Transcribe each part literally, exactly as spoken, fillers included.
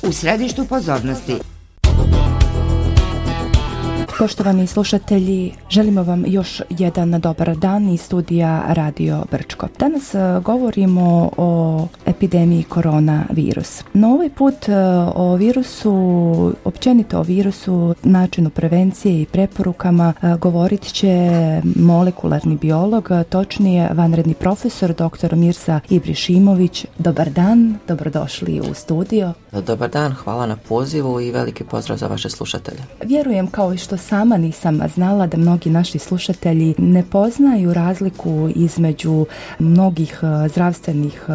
u središtu pozornosti. Poštovani slušatelji, želimo vam još jedan dobar dan iz studija Radio Brčko. Danas govorimo o epidemiji koronavirus. No ovaj put o virusu, općenito o virusu, načinu prevencije i preporukama govorit će molekularni biolog, točnije vanredni profesor doktor Mirza Ibrišimović. Dobar dan, dobrodošli u studio. Dobar dan, hvala na pozivu i veliki pozdrav za vaše slušatelje. Vjerujem, kao i što sama nisam znala, da mnogi naši slušatelji ne poznaju razliku između mnogih zdravstvenih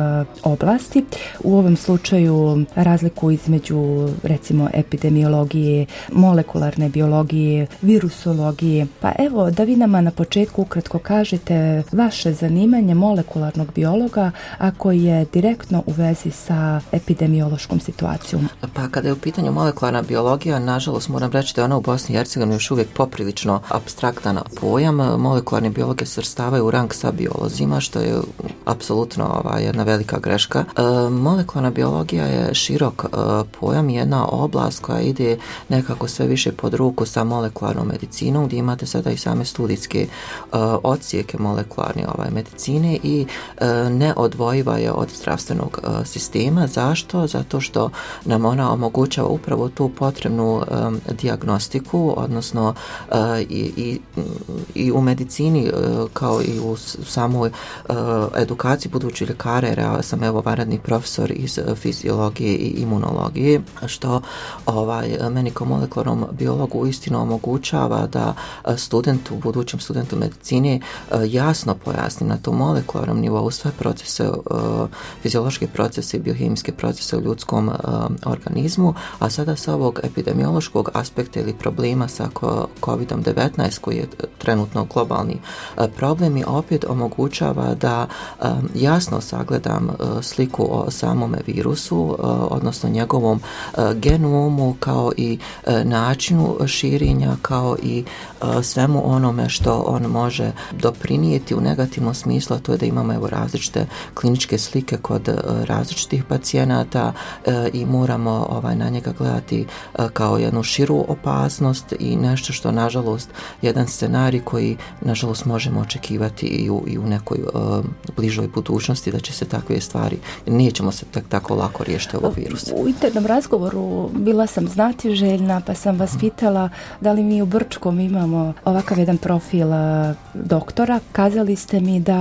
oblasti. U ovom slučaju razliku između, recimo, epidemiologije, molekularne biologije, virusologije. Pa evo, da vi nama na početku ukratko kažete vaše zanimanje molekularnog biologa, ako je direktno u vezi sa epidemiološkom situacijom. Pa kada je u pitanju molekularna biologija, nažalost moram reći da je ona u Bosni i Hercegovini još uvijek poprilično apstraktan pojam. Molekularni biologe svrstavaju u rang sa biolozima, što je apsolutno ova, jedna velika greška. E, molekularna biologija je širok e, pojam, jedna oblast koja ide nekako sve više pod ruku sa molekularnom medicinom, gdje imate sada i same studijske e, odsjeke molekularne ovaj, medicine i e, neodvojiva je od zdravstvenog e, sistema. Zašto? Zato što nam ona omogućava upravo tu potrebnu e, dijagnostiku, odnosno Uh, i, i, i u medicini uh, kao i u samoj uh, edukaciji budućih ljekara, jer ja sam evo vanredni profesor iz uh, fiziologije i imunologije, što ovaj, meni kao molekularnom biologu uistinu omogućava da uh, studentu, budućem studentu medicine uh, jasno pojasni na tom molekularnom nivou sve procese, uh, fiziološke procese i biohemijske procese u ljudskom uh, organizmu, a sada sa ovog epidemiološkog aspekta ili problema sa kovid devetnaest koji je trenutno globalni problem i opet omogućava da jasno sagledam sliku o samome virusu, odnosno njegovom genomu kao i načinu širenja, kao i svemu onome što on može doprinijeti u negativnom smislu, a to je da imamo evo različite kliničke slike kod različitih pacijenata i moramo ovaj, na njega gledati kao jednu širu opasnost i nešto što nažalost jedan scenarij koji nažalost možemo očekivati i u, i u nekoj uh, bližoj budućnosti da će se takve stvari, nećemo se tak, tako lako riješiti ovog virusa. U internom razgovoru bila sam znatiželjna pa sam vas pitala da li mi u Brčkom imamo ovakav jedan profil uh, doktora. Kazali ste mi da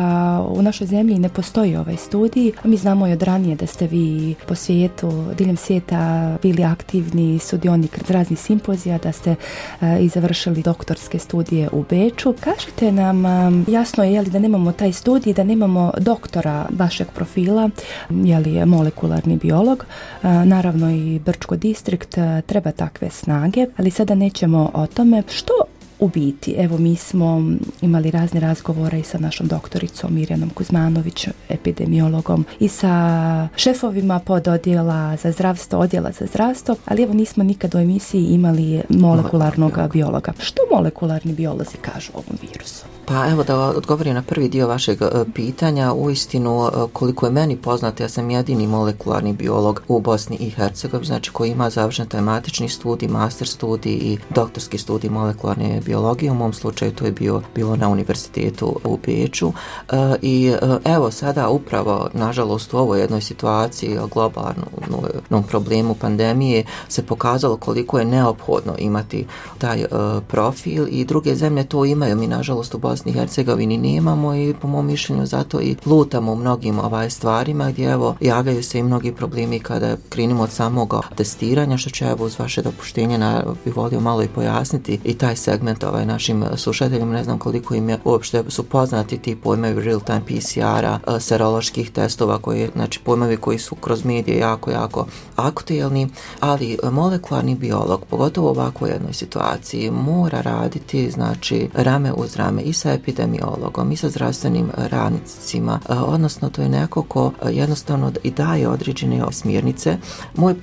u našoj zemlji ne postoji ovaj studij, a mi znamo i od ranije da ste vi po svijetu, diljem svijeta bili aktivni sudionik raznih simpozija, da ste uh, i završili doktorske studije u Beču. Kažite nam, jasno je li da nemamo taj studij, da nemamo doktora vašeg profila, je li je molekularni biolog, naravno i Brčko distrikt treba takve snage, ali sada nećemo o tome. Što u biti, evo mi smo imali razne razgovore i sa našom doktoricom Mirjanom Kuzmanović, epidemiologom, i sa šefovima pododjela za zdravstvo, odjela za zdravstvo, ali evo nismo nikad u emisiji imali molekularnog biologa. Što molekularni biolozi kažu o ovom virusu? Pa evo da odgovorim na prvi dio vašeg pitanja. Uistinu, koliko je meni poznato, ja sam jedini molekularni biolog u Bosni i Hercegovini, znači koji ima završen taj matični studij, master studij i doktorski studij molekularne biologije. U mom slučaju to je bio, bilo na univerzitetu u Beču. E, I evo sada upravo, nažalost, u ovoj jednoj situaciji, globalnom problemu pandemije, se pokazalo koliko je neophodno imati taj uh, profil i druge zemlje to imaju. Mi, nažalost, u Bosni i Hercegovini nemamo i po mom mišljenju zato i lutamo u mnogim ovaj stvarima gdje evo javljaju se i mnogi problemi kada krenimo od samog testiranja, što će evo uz vaše dopuštenje na, bih volio malo i pojasniti i taj segment ovaj našim slušateljima. Ne znam koliko im je uopšte su poznati ti pojmovi real time P C R-a, seroloških testova, koji, znači pojmovi koji su kroz medije jako, jako aktuelni, ali molekularni biolog, pogotovo u ovakvoj jednoj situaciji, mora raditi znači rame uz rame i sa epidemiologom i sa zdravstvenim radnicima, odnosno to je neko ko jednostavno i daje određene smjernice. Moj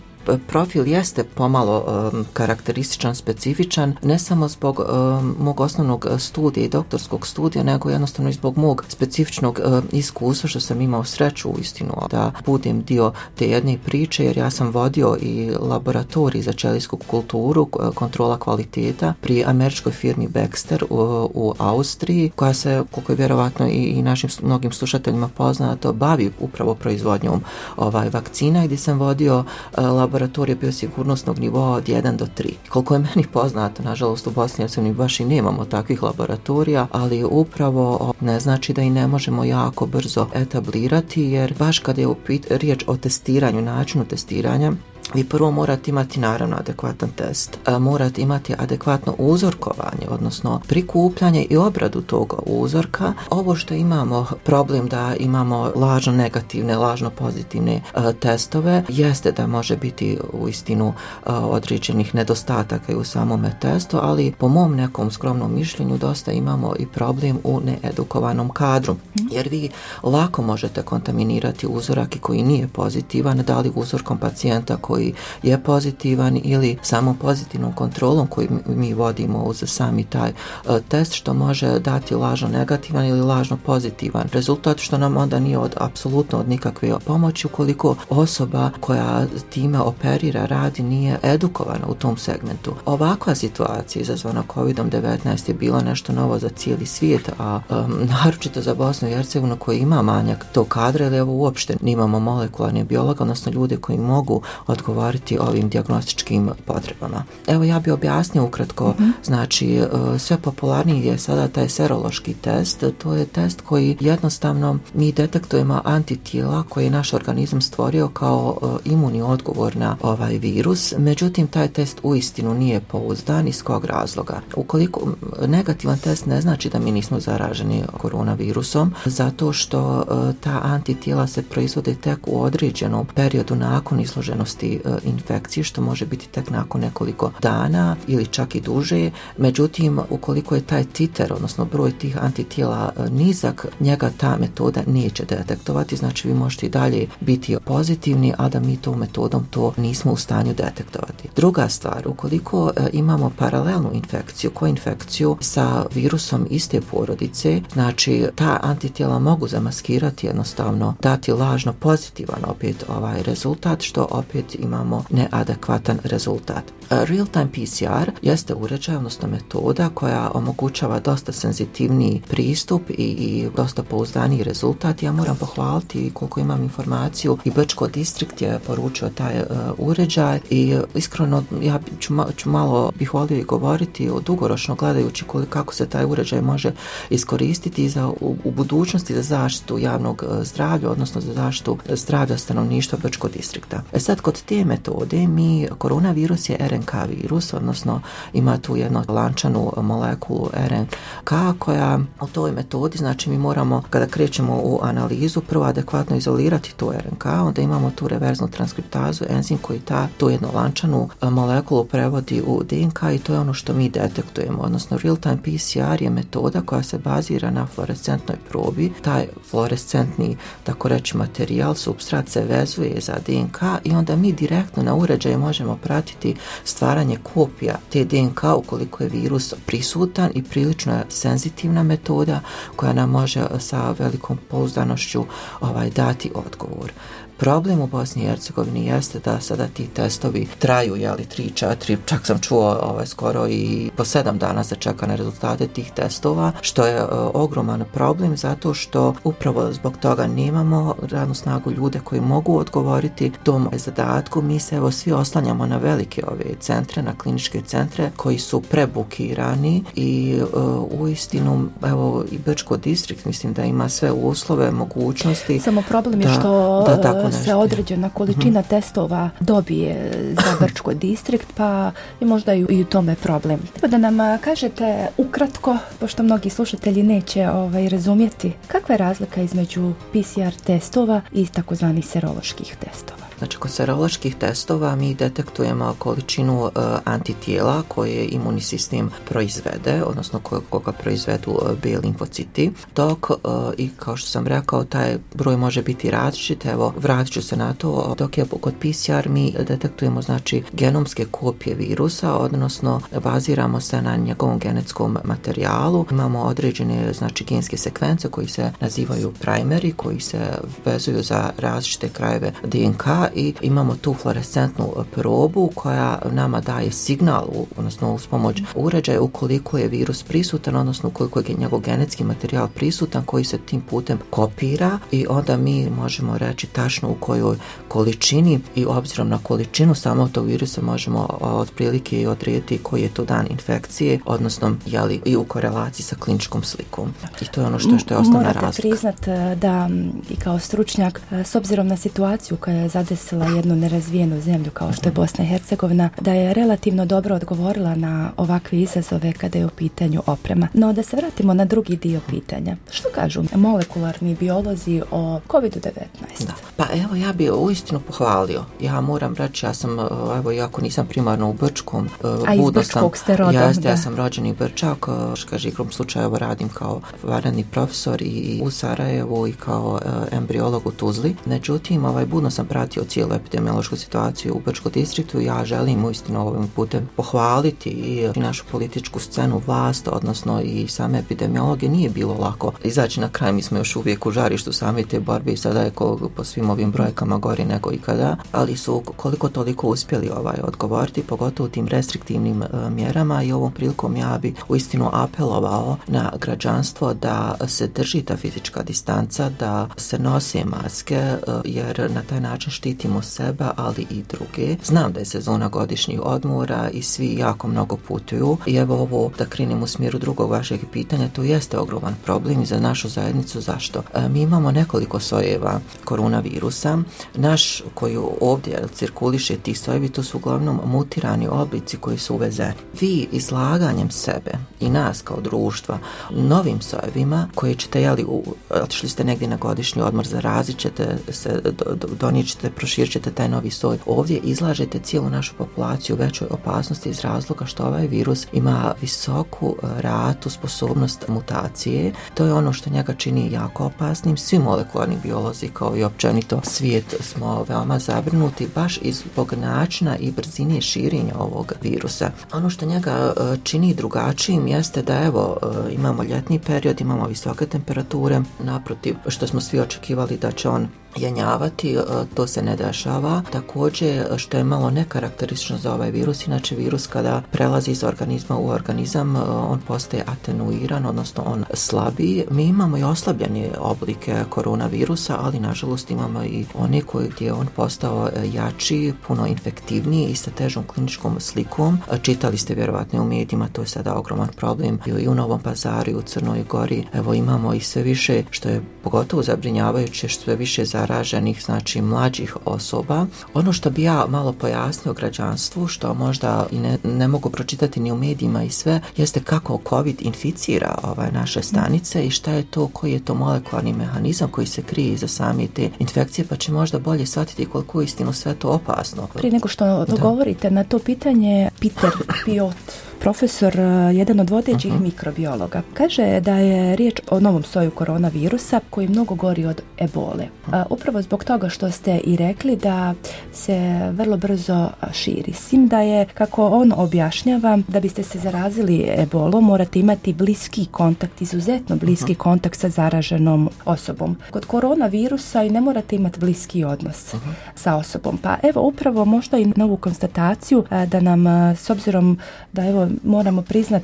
profil jeste pomalo um, karakterističan, specifičan, ne samo zbog um, mog osnovnog studija i doktorskog studija, nego jednostavno i zbog mog specifičnog uh, iskustva što sam imao sreću u istinu da budem dio te jedne priče, jer ja sam vodio i laboratorij za ćelijsku kulturu, kontrola kvaliteta pri američkoj firmi Baxter u, u Austriji, koja se, koliko je vjerovatno i, i našim mnogim slušateljima poznato, bavi upravo proizvodnjom ovaj, vakcina, gdje sam vodio uh, laboratorij biosigurnosnog nivoa od jedan do tri. Koliko je meni poznato, nažalost u Bosni i Hercegovini baš i nemamo takvih laboratorija, ali upravo ne znači da i ne možemo jako brzo etablirati, jer baš kada je riječ o testiranju, načinu testiranja, vi prvo morate imati naravno adekvatan test, morate imati adekvatno uzorkovanje, odnosno prikupljanje i obradu tog uzorka. Ovo što imamo problem da imamo lažno negativne, lažno pozitivne uh, testove, jeste da može biti u istinu uh, određenih nedostataka i u samome testu, ali po mom nekom skromnom mišljenju dosta imamo i problem u needukovanom kadru, jer vi lako možete kontaminirati uzorak koji nije pozitivan, da li uzorkom pacijenta koji koji je pozitivan ili samo pozitivnom kontrolom koju mi vodimo uz sami taj uh, test, što može dati lažno negativan ili lažno pozitivan rezultat, što nam onda nije od apsolutno od nikakve pomoći ukoliko osoba koja time operira, radi, nije edukovana u tom segmentu. Ovakva situacija izazvana kovid devetnaest je bila nešto novo za cijeli svijet, a um, naročito za Bosnu i Hercegovinu koji ima manjak tog kadra, ili evo uopšte nimamo molekularne biologa, odnosno ljude koji mogu odgovoriti ovim dijagnostičkim potrebama. Evo ja bih objasnio ukratko, mm-hmm. znači sve popularniji je sada taj serološki test, to je test koji jednostavno mi detektujemo antitijela koje je naš organizam stvorio kao imunni odgovor na ovaj virus, međutim taj test uistinu nije pouzdan. Iz kog razloga? Ukoliko negativan test ne znači da mi nismo zaraženi koronavirusom, zato što ta antitijela se proizvode tek u određenom periodu nakon izloženosti infekcije, što može biti tek nakon nekoliko dana ili čak i duže. Međutim, ukoliko je taj titer, odnosno broj tih antitijela nizak, njega ta metoda neće detektovati, znači vi možete i dalje biti pozitivni, a da mi tom metodom to nismo u stanju detektovati. Druga stvar, ukoliko imamo paralelnu infekciju, koinfekciju sa virusom iste porodice, znači ta antitijela mogu zamaskirati, jednostavno dati lažno pozitivan opet ovaj rezultat, što opet imamo neadekvatan rezultat. Real-time P C R jeste uređaj, odnosno metoda koja omogućava dosta senzitivniji pristup i, i dosta pouzdaniji rezultat. Ja moram pohvaliti koliko imam informaciju i Brčko distrikt je poručio taj uh, uređaj i iskreno ja ću, ma, ću malo bih volio i govoriti o dugoročno gledajući koliko, kako se taj uređaj može iskoristiti za, u, u budućnosti za zaštitu javnog uh, zdravlja, odnosno za zaštitu zdravlja stanovništva Brčko distrikta. E sad, kod te metode mi, koronavirus je R N K virus, odnosno ima tu jednu lančanu molekulu R N K koja u toj metodi, znači mi moramo kada krećemo u analizu prvo adekvatno izolirati to R N K, onda imamo tu reverznu transkriptazu, enzim koji ta tu jednu lančanu molekulu prevodi u D N K i to je ono što mi detektujemo, odnosno real-time P C R je metoda koja se bazira na fluorescentnoj probi. Taj fluorescentni, tako reći, materijal, supstrat se vezuje za D N K i onda mi direktno na uređaju možemo pratiti stvaranje kopija te D N K ukoliko je virus prisutan i prilično je senzitivna metoda koja nam može sa velikom pouzdanošću ovaj, dati odgovor. Problem u Bosni i Hercegovini jeste da sada ti testovi traju, jeli, tri, četiri, čak sam čuo ovaj, skoro i po sedam dana se čeka na rezultate tih testova, što je uh, ogroman problem zato što upravo zbog toga nemamo radnu snagu ljude koji mogu odgovoriti tom zadatku. Mi se evo svi oslanjamo na velike ove centre, na kliničke centre koji su prebukirani i uh, uistinu evo i Brčko distrikt mislim da ima sve uslove, mogućnosti. Samo problem je da, što da tako se određena količina mm-hmm. testova dobije za Brčko distrikt, pa je možda i u tome problem. Treba da nam kažete ukratko, pošto mnogi slušatelji neće ovaj, razumjeti, kakva je razlika između P C R testova i takozvanih seroloških testova? Znači, kod seroloških testova mi detektujemo količinu uh, antitijela koje imunni sistem proizvede, odnosno koga proizvedu uh, B limfociti, dok uh, i kao što sam rekao, taj broj može biti različit. Evo, vratit ću se na to, dok je kod P C R mi detektujemo znači genomske kopije virusa, odnosno baziramo se na njegovom genetskom materijalu. Imamo određene znači genske sekvence koji se nazivaju primeri, koji se vezuju za različite krajeve D N K i imamo tu fluorescentnu probu koja nama daje signal, odnosno uz pomoć uređaja ukoliko je virus prisutan, odnosno ukoliko je njegov genetski materijal prisutan koji se tim putem kopira i onda mi možemo reći tačno u kojoj količini i obzirom na količinu samog tog virusa možemo otprilike odrediti koji je to dan infekcije, odnosno jeli, i u korelaciji sa kliničkom slikom. I to je ono što, što je osnovna razlika. Morate priznat da i kao stručnjak, s obzirom na situaciju koja je zadesila jednu nerazvijenu zemlju kao što je Bosna i Hercegovina, da je relativno dobro odgovorila na ovakve izazove kada je u pitanju oprema. No da se vratimo na drugi dio pitanja. Što kažu molekularni biolozi o kovid devetnaest? Da. Pa evo, ja bi uistinu pohvalio. Ja moram reći, ja sam, evo, iako nisam primarno u Brčkom, a iz Brčkog ste rodom, jeste, da. Ja sam rođeni Brčak, kaže, igrom slučaja evo radim kao vanredni profesor i u Sarajevu i kao e, embriolog u Tuzli. Međutim, ovaj, budno sam pratio cijelu epidemiološku situaciju u Brčkom distriktu. Ja želim uistinu ovim putem pohvaliti i našu političku scenu, vlast, odnosno i same epidemiologe. Nije bilo lako izaći na kraj, mi smo još uvijek u žarištu same te borbe i sada je ko, po svim ovim brojkama gori nego ikada, ali su koliko toliko uspjeli ovaj odgovoriti, pogotovo tim restriktivnim e, mjerama i ovom prilikom ja bi uistinu apelovao na građanstvo da se drži ta fizička distanca, da se nose maske, e, jer na taj način štitimo sebe, ali i druge. Znam da je sezona godišnjih odmora i svi jako mnogo putuju i evo ovo da krenem u smjeru drugog vašeg pitanja, to jeste ogroman problem i za našu zajednicu. Zašto? E, mi imamo nekoliko sojeva koronavirusa. Naš koji ovdje cirkuliše, ti sojevi, to su uglavnom mutirani oblici koji su uvezeni. Vi izlaganjem sebe i nas kao društva novim sojevima koji ćete, jeli, otišli ste negdje na godišnji odmor, zarazit ćete se, do, do, donijet ćete, proširit ćete taj novi soj. Ovdje izlažete cijelu našu populaciju većoj opasnosti iz razloga što ovaj virus ima visoku ratu, sposobnost mutacije. To je ono što njega čini jako opasnim. Svi molekularni biolozi kao i općenito svijet smo veoma zabrinuti baš zbog načina i brzine širenja ovog virusa. Ono što njega čini drugačijim jeste da evo imamo ljetni period, imamo visoke temperature, naprotiv što smo svi očekivali da će on jenjavati, to se ne dešava. Također, što je malo nekarakteristično za ovaj virus, inače virus kada prelazi iz organizma u organizam, on postaje atenuiran, odnosno on slabi. Mi imamo i oslabljene oblike koronavirusa, ali nažalost imamo i one koje gdje je on postao jači, puno infektivniji i sa težom kliničkom slikom. Čitali ste vjerovatno u medijima, to je sada ogroman problem i u Novom Pazaru i u Crnoj Gori. Evo imamo i sve više, što je pogotovo zabrinjavajuće, što sve više za zaraženih, znači mlađih osoba. Ono što bi ja malo pojasnio građanstvu, što možda i ne, ne mogu pročitati ni u medijima i sve, jeste kako COVID inficira ovaj, naše stanice i šta je to, koji je to molekularni mehanizam koji se krije iza same te infekcije, pa će možda bolje shvatiti koliko je istinu sve to opasno. Prije nego što dogovorite na to pitanje, Peter Piot, profesor, jedan od vodećih uh-huh. mikrobiologa, kaže da je riječ o novom soju koronavirusa koji mnogo gori od ebole. Uh, upravo zbog toga što ste i rekli da se vrlo brzo širi. Sim da je, kako on objašnjava, da biste se zarazili ebolom morate imati bliski kontakt, izuzetno bliski uh-huh. kontakt sa zaraženom osobom. Kod koronavirusa i ne morate imati bliski odnos uh-huh. sa osobom. Pa evo upravo možda i novu konstataciju uh, da nam, uh, s obzirom da evo moramo priznat,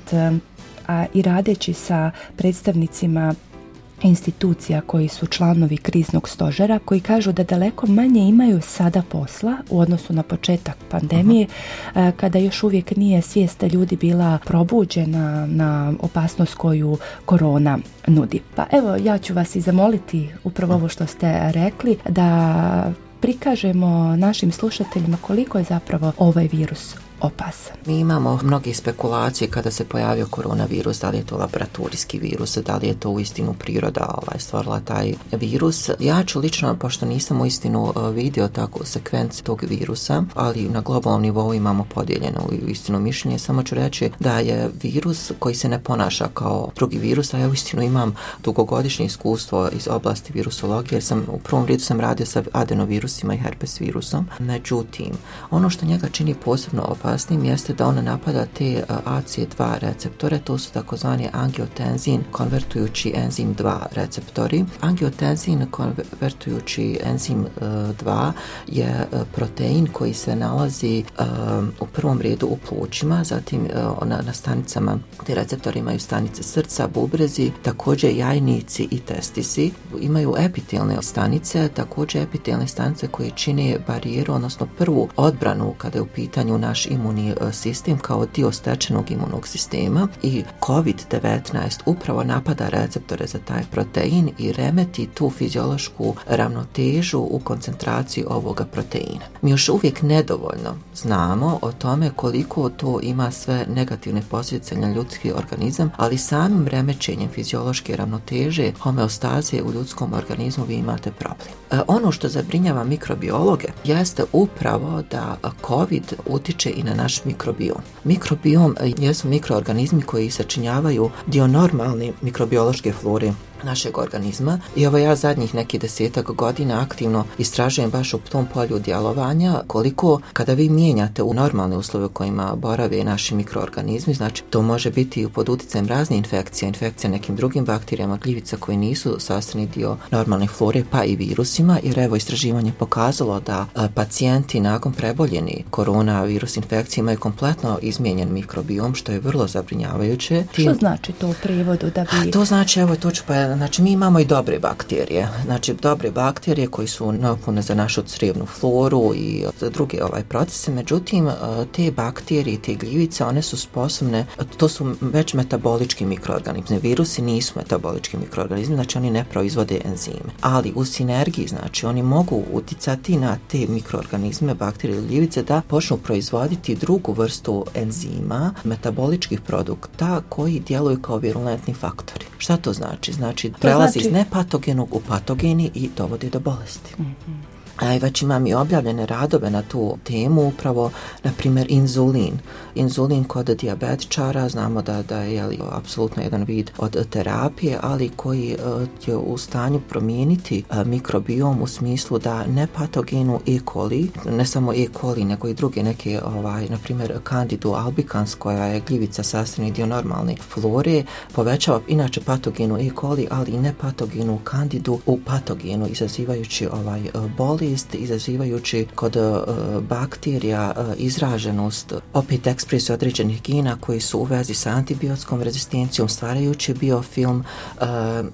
a i radeći sa predstavnicima institucija koji su članovi kriznog stožera, koji kažu da daleko manje imaju sada posla u odnosu na početak pandemije, uh-huh. kada još uvijek nije svijest ljudi bila probuđena na opasnost koju korona nudi. Pa evo, ja ću vas i zamoliti upravo ovo što ste rekli, da prikažemo našim slušateljima koliko je zapravo ovaj virus opasan? Mi imamo mnoge spekulacije kada se pojavio koronavirus, da li je to laboratorijski virus, da li je to uistinu priroda ovaj, stvorila taj virus. Ja ću lično, pošto nisam uistinu vidio tako sekvenci tog virusa, ali na globalnom nivou imamo podijeljeno uistinu mišljenje, samo ću reći da je virus koji se ne ponaša kao drugi virus, a ja uistinu imam dugogodišnje iskustvo iz oblasti virusologije, jer sam u prvom redu sam radio sa adenovirusima i herpes virusom. Međutim, ono što njega čini posebno opasnim jeste da on napada te A C E dva receptore, to su takozvani angiotenzin konvertujući enzim dva receptori. Angiotenzin konvertujući enzim dva je protein koji se nalazi u prvom redu u plućima, zatim na, na stanicama, te receptori imaju stanice srca, bubrezi, također jajnici i testisi. Imaju epitelne stanice, također epitelne stanice koje čine barijeru, odnosno prvu odbranu kada je u pitanju naš imunni sistem kao dio stečenog imunog sistema, i kovid devetnaest upravo napada receptore za taj protein i remeti tu fiziološku ravnotežu u koncentraciji ovoga proteina. Mi još uvijek nedovoljno znamo o tome koliko to ima sve negativne posljedice na ljudski organizam, ali samim remećenjem fiziološke ravnoteže, homeostaze u ljudskom organizmu vi imate problem. E, ono što zabrinjava mikrobiologe jeste upravo da COVID utiče i na naš mikrobiom. Mikrobiom jesu mikroorganizmi koji sačinjavaju dio normalne mikrobiološke flore našeg organizma, i evo ja zadnjih neki desetak godina aktivno istražujem baš u tom polju djelovanja koliko kada vi mijenjate u normalne uslove u kojima borave naši mikroorganizmi, znači to može biti pod utjecajem razne infekcije, infekcije nekim drugim bakterijama, gljivica koji nisu sastavni dio normalne flore, pa i virusima, jer evo istraživanje pokazalo da a, pacijenti nakon preboljeni koronavirus infekcije imaju kompletno izmijenjen mikrobiom, što je vrlo zabrinjavajuće. Što znači to u prijevodu da bi... A, to znači, evo to ću pa znači mi imamo i dobre bakterije, znači dobre bakterije koji su neophodne za našu crijevnu floru i druge ovaj procese, međutim te bakterije, te gljivice, one su sposobne, to su već metabolički mikroorganizmi, virusi nisu metabolički mikroorganizmi, znači oni ne proizvode enzime, ali u sinergiji, znači oni mogu uticati na te mikroorganizme, bakterije ili gljivice da počnu proizvoditi drugu vrstu enzima, metaboličkih produkta koji djeluju kao virulentni faktori. Šta to znači? Znači prelazi znači... iz nepatogenog u patogeni i dovodi do bolesti. Mm-hmm. A već imam i objavljene radove na tu temu, upravo, na primjer, inzulin. Inzulin kod dijabetičara, znamo da, da je jeli, apsolutno jedan vid od terapije, ali koji uh, je u stanju promijeniti uh, mikrobiom u smislu da nepatogenu E. coli, ne samo E. coli, nego i druge neke, ovaj, na primjer, Candidu albicans, koja je gljivica sastavni dio normalne flore, povećava inače patogenu E. coli, ali i nepatogenu Candidu u patogenu, izazivajući ovaj, uh, boli, izazivajući kod uh, bakterija uh, izraženost, opet ekspresiju određenih gena koji su u vezi sa antibiotskom rezistencijom, stvarajući biofilm uh,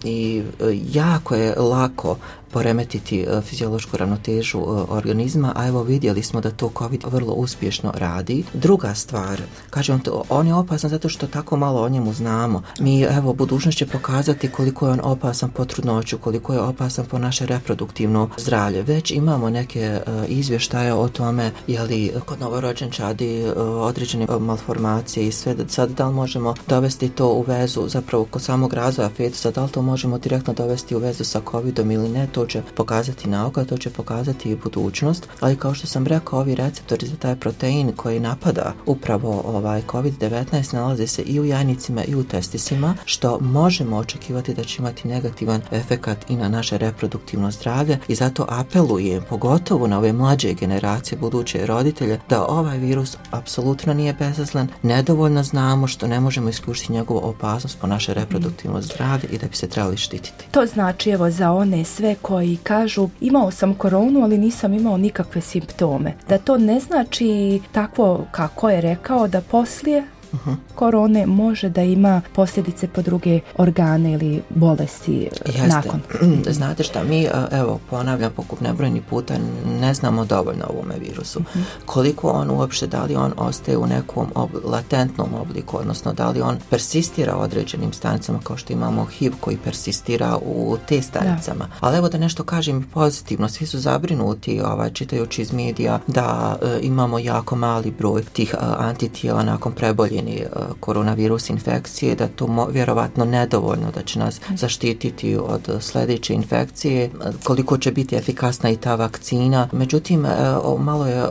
i uh, jako je lako poremetiti uh, fiziološku ravnotežu uh, organizma, a evo vidjeli smo da to COVID vrlo uspješno radi. Druga stvar, kažem, to, on je opasan zato što tako malo o njemu znamo. Mi, evo, budućnost će pokazati koliko je on opasan po trudnoću, koliko je opasan po naše reproduktivno zdravlje. Već imamo neke uh, izvještaje o tome je li kod novorođenčadi uh, određene uh, malformacije i sve, da sad da li možemo dovesti to u vezu, zapravo kod samog razvoja fetusa, da li to možemo direktno dovesti u vezu sa covidom ili ne, to će pokazati nauka, to će pokazati i budućnost, ali kao što sam rekao, ovi receptori za taj protein koji napada upravo ovaj kovid devetnaest nalaze se i u jajnicima i u testisima, što možemo očekivati da će imati negativan efekat i na naše reproduktivno zdravlje, i zato apelujem pogotovo na ove mlađe generacije, buduće roditelje, da ovaj virus apsolutno nije bezazlen, nedovoljno znamo, što ne možemo isključiti njegovu opasnost po naše reproduktivno zdravlje i da bi se trebali štititi. To znači, evo, za one sve koji kažu imao sam koronu, ali nisam imao nikakve simptome, da to ne znači takvo kako je rekao, da poslije uh-huh. korone može da ima posljedice po druge organe ili bolesti Jeste. nakon. Znate šta, mi, evo, ponavljam pokut nebrojni puta, ne znamo dovoljno o ovome virusu. Uh-huh. Koliko on uopšte, da li on ostaje u nekom ob- latentnom obliku, odnosno da li on persistira određenim stanicama, kao što imamo H I V koji persistira u te stanicama. Da. Ali evo da nešto kažem pozitivno, svi su zabrinuti, ovaj, čitajući iz medija, da e, imamo jako mali broj tih e, antitijela nakon preboljeni e, koronavirus infekcije, da to mo, vjerovatno nedovoljno da će nas zaštititi od sljedeće infekcije, koliko će biti efikasna i ta vakcina. Međutim, e, o, malo je e,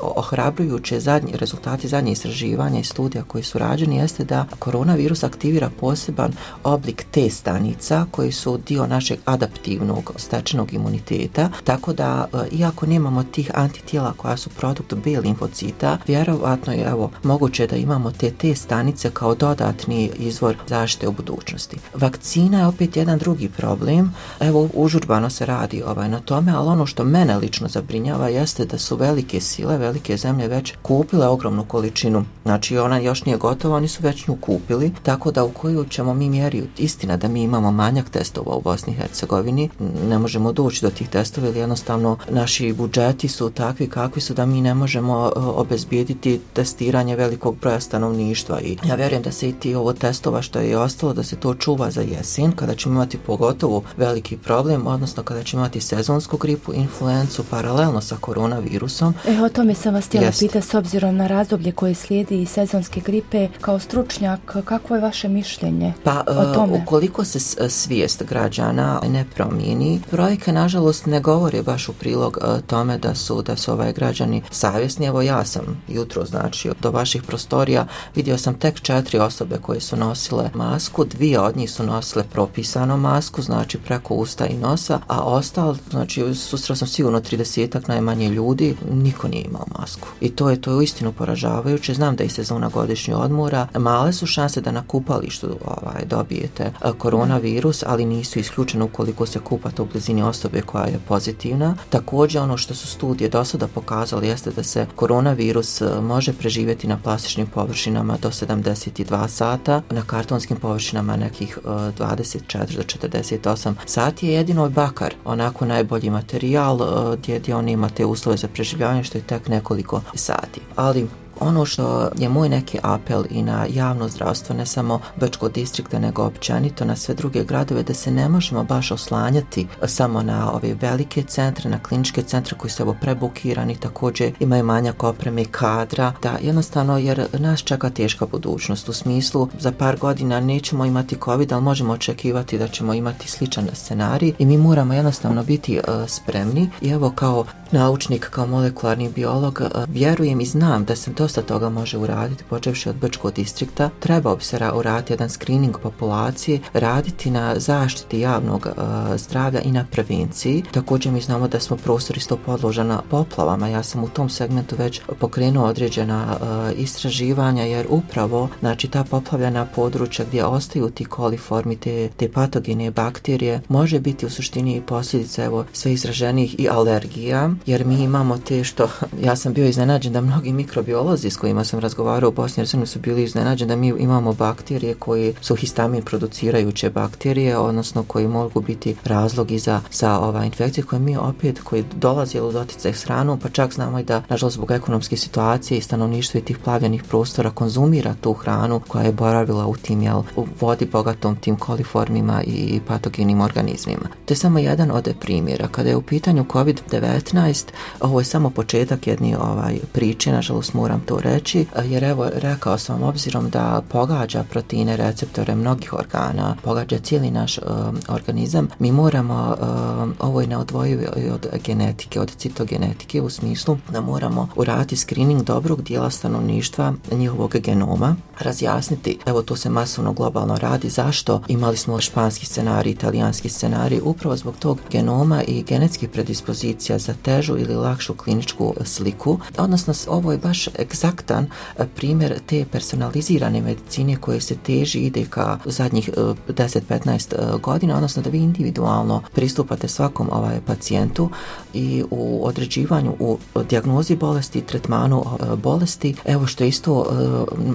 ohrabrujuće zadnji, rezultati zadnje istraživanja i studija koji su rađeni jeste da koronavirus aktivira poseban oblik T stanica koji su dio našeg adaptivnog stečenog imuniteta, tako da iako nemamo tih antitijela koja su produkt B limfocita, vjerovatno je evo moguće da imamo te T stanice kao dodatni izvor zaštite u budućnosti. Vakcina je opet jedan drugi problem. Evo užurbano se radi ovaj na tome, ali ono što mene lično zabrinjava jeste da su velike sile, velike zemlje već kupile ogromnu količinu. Znači ona još nije gotova, oni su već nju kupili, tako da u koju ćemo mi mjeri, istina da mi imamo manjak testova u Bosni i Hercegovini, ne možemo doći do tih testova ili jednostavno naši budžeti su takvi kakvi su da mi ne možemo uh, obezbijediti testiranje velikog broja stanovništva i ja vjerujem da se i ti ovo testova što je ostalo da se to čuva za jesen kada ćemo imati pogotovo veliki problem, odnosno kada ćemo imati sezonsku gripu, influencu paralelno sa koronavirusom. E, o tome sam vas htjela pitati s obzirom na razdoblje koje slijedi i sezonske gripe. Kao stručnjak, kakvo je vaše mišljenje pa, o tome? Uh, ukoliko se svijest građana ne promijeni, brojke nažalost ne govore baš u prilog uh, tome da su da su ovaj građani savjesni. Evo ja sam jutro znači do vaših prostorija vidio sam tek četiri osobe koje su nosile masku, dvije od njih su nosile propisanu masku, znači preko usta i nosa, a ostalo, znači susreo sam sigurno tridesetak najmanje ljudi, niko nije imao masku. I to je to je uistinu poražavajuće. Znam da je sezona godišnjeg odmora, male su šanse da na kupalištu ovaj, dobijete koronavirus, ali nisu isključene ukoliko se kupate u blizini osobe koja je pozitivna. Također ono što su studije do sada pokazali jeste da se koronavirus može preživjeti na plastičnim površinama do sedamdeset dva sata, na kartonskim površinama nekih uh, dvadeset četiri do četrdeset osam sati. Je jedino bakar onako najbolji materijal uh, gdje, gdje on ima te uslove za preživljavanje što je tek nekoliko sati. Ali ono što je moj neki apel i na javno zdravstvo, ne samo Brčkog distrikta, nego općenito na sve druge gradove, da se ne možemo baš oslanjati samo na ove velike centre, na kliničke centre koji su evo prebukirani, također imaju manjak opreme i kadra, da jednostavno, jer nas čeka teška budućnost, u smislu za par godina nećemo imati COVID, ali možemo očekivati da ćemo imati sličan scenarij i mi moramo jednostavno biti uh, spremni. I evo kao naučnik, kao molekularni biolog, uh, vjerujem i znam da se dosta toga može uraditi, počevši od Brčkog distrikta. Trebao bi se uraditi jedan screening populacije, raditi na zaštiti javnog uh, zdravlja i na prevenciji. Također mi znamo da smo prostor isto podložena poplavama. Ja sam u tom segmentu već pokrenuo određena uh, istraživanja, jer upravo znači ta poplavljena područja gdje ostaju ti koliformi, te, te patogene bakterije, može biti u suštini posljedica evo sve izraženih i alergija, jer mi imamo te što, ja sam bio iznenađen da mnogi mikrobiolozi s kojima sam razgovarao u Bosni i Hercegovini su bili iznenađeni da mi imamo bakterije koji su histamin producirajuće bakterije, odnosno koji mogu biti razlog i za, za ova infekcije koje mi opet, koji dolazi u doticaj s hranom, pa čak znamo i da, nažalost, zbog ekonomske situacije i stanovništva i tih plavljenih prostora konzumira tu hranu koja je boravila u tim, jel, u vodi bogatom tim koliformima i patogenim organizmima. To je samo jedan od primjera. Kada je u pitanju kovid devetnaest, ovo je samo početak jedne ovaj, priče, nažalost moram to reći, jer evo rekao sam vam, obzirom da pogađa proteine, receptore mnogih organa, pogađa cijeli naš uh, organizam, mi moramo, uh, ovo je neodvojivo od genetike, od citogenetike, u smislu da moramo uraditi screening dobrog dijela stanovništva, njihovog genoma, razjasniti, evo to se masovno globalno radi, zašto imali smo španski scenarij, italijanski scenarij, upravo zbog tog genoma i genetskih predispozicija za težu ili lakšu kliničku sliku, odnosno ovo je baš egzaktan primjer te personalizirane medicine koje se teži ide ka zadnjih deset do petnaest godina, odnosno da vi individualno pristupate svakom ovaj pacijentu i u određivanju, u dijagnozi bolesti, tretmanu bolesti. Evo što je isto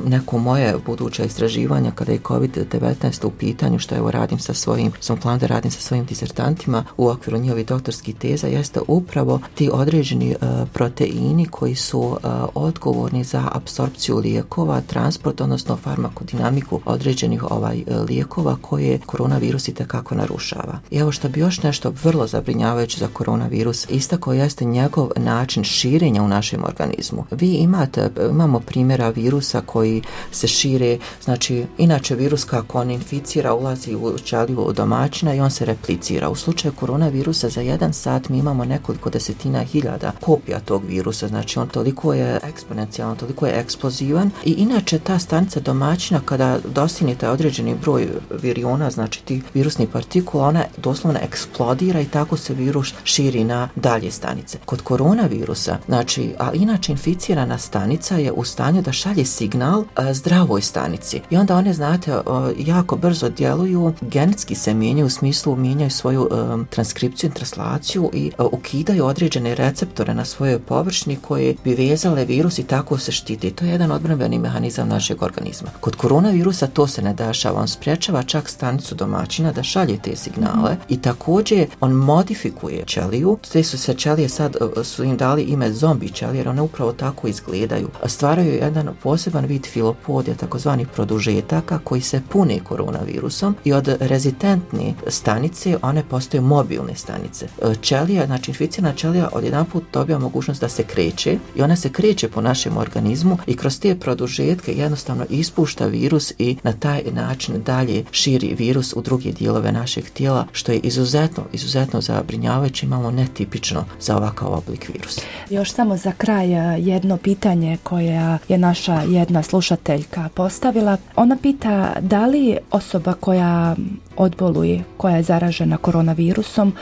neko moje buduće istraživanja kada je kovid devetnaest u pitanju, što evo radim sa svojim, sam plan da radim sa svojim disertantima u okviru njihovih doktorskih teza, jeste upravo ti određeni proteini koji su odgovorni za apsorpciju lijekova, transport, odnosno farmakodinamiku određenih ovaj lijekova koje koronavirus itekako narušava. I evo što bi još nešto vrlo zabrinjavajuće za koronavirus istakao jeste njegov način širenja u našem organizmu. Vi imate, imamo primjera virusa koji se šire, znači inače virus kako on inficira ulazi u ćeliju domaćina i on se replicira. U slučaju koronavirusa za jedan sat mi imamo nekoliko desetina hiljada kopija tog virusa, znači on toliko je eksponencijalan, toliko je eksplozivan i inače ta stanica domaćina kada dostignete određeni broj viriona, znači ti virusnih partikula, ona doslovno eksplodira i tako se virus širi na dalje stanice. Kod koronavirusa, znači, a inače inficirana stanica je u stanju da šalje signal a, zdravoj stanici i onda one, znate, a, jako brzo djeluju, genetski se mijenjaju, u smislu mijenjaju svoju a, transkripciju, translaciju i a, ukidaju određene receptore na svojoj površini koje bi vezale virus i tako se štiti. To je jedan odbrambeni mehanizam našeg organizma. Kod koronavirusa to se ne dešava, on sprječava čak stanicu domaćina da šalje te signale i također on modifikuje ćeliju. Te su se ćelije sad su im dali ime zombi ćelije jer one upravo tako izgledaju. Stvaraju jedan poseban vid filopodija, takozvanih produžetaka koji se pune koronavirusom i od rezistentne stanice one postaju mobilne stanice. Ćelija, znači inficirana ćelija odjedanput dobija mogućnost da se kreće i ona se kreće po našem organizmu i kroz te produžetke jednostavno ispušta virus i na taj način dalje širi virus u druge dijelove našeg tijela, što je izuzetno, izuzetno zabrinjavajuće, imamo netipično za ovakav oblik virusa. Još samo za kraj jedno pitanje koje je naša jedna slušateljka postavila. Ona pita da li osoba koja odboluje, koja je zaražena koronavirusom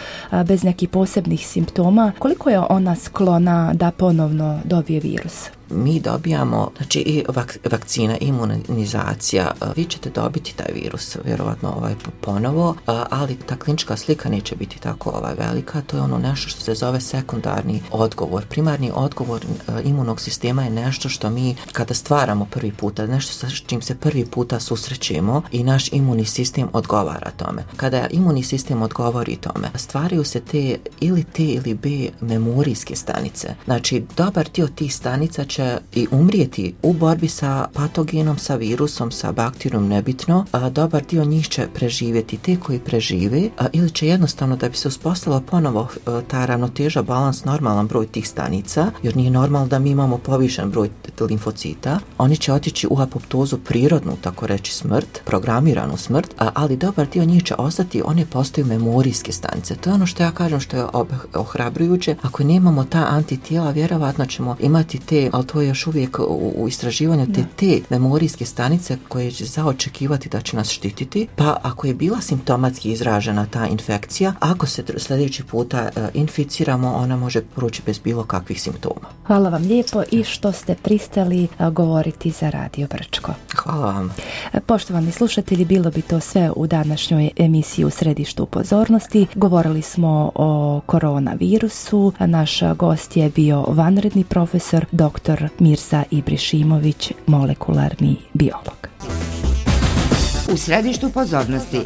bez nekih posebnih simptoma, koliko je ona sklona da ponovno dobije virus? Mi dobijamo, znači i vak, vakcina, imunizacija, vi ćete dobiti taj virus vjerovatno ovaj ponovo, ali ta klinička slika neće biti tako ovaj velika, to je ono nešto što se zove sekundarni odgovor. Primarni odgovor imunog sistema je nešto što mi kada stvaramo prvi puta, nešto sa čim se prvi puta susrećemo i naš imunni sistem odgovara tome. Kada imunni sistem odgovori tome, stvaraju se te ili T ili B memorijske stanice. Znači, dobar dio tih stanica će i umrijeti u borbi sa patogenom, sa virusom, sa bakterijom, nebitno, a dobar dio njih će preživjeti. Te koji prežive a, ili će jednostavno da bi se uspostavila ponovo a, ta ravnoteža, balans, normalan broj tih stanica, jer nije normalno da mi imamo povišen broj limfocita, oni će otići u apoptozu, prirodnu, tako reći smrt, programiranu smrt, a, ali dobar dio njih će ostati, one postaju memorijske stanice. To je ono što ja kažem što je ohrabrujuće. Ako nemamo ta antitijela, vjerovatno ćemo imati te, ali to je još uvijek u, u istraživanju, te, te memorijske stanice koje će zaočekivati da će nas štititi, pa ako je bila simptomatski izražena ta infekcija, ako se sljedeći puta uh, inficiramo, ona može proći bez bilo kakvih simptoma. Hvala vam lijepo i što ste pristali uh, govoriti za Radio Brčko. Hvala vam. Poštovani slušatelji, bilo bi to sve u današnjoj emisiji U središtu pozornosti. Govorili smo o koronavirusu. Naš gost je bio vanredni profesor doktor Mirza Ibrišimović, molekularni biolog. U središtu pozornosti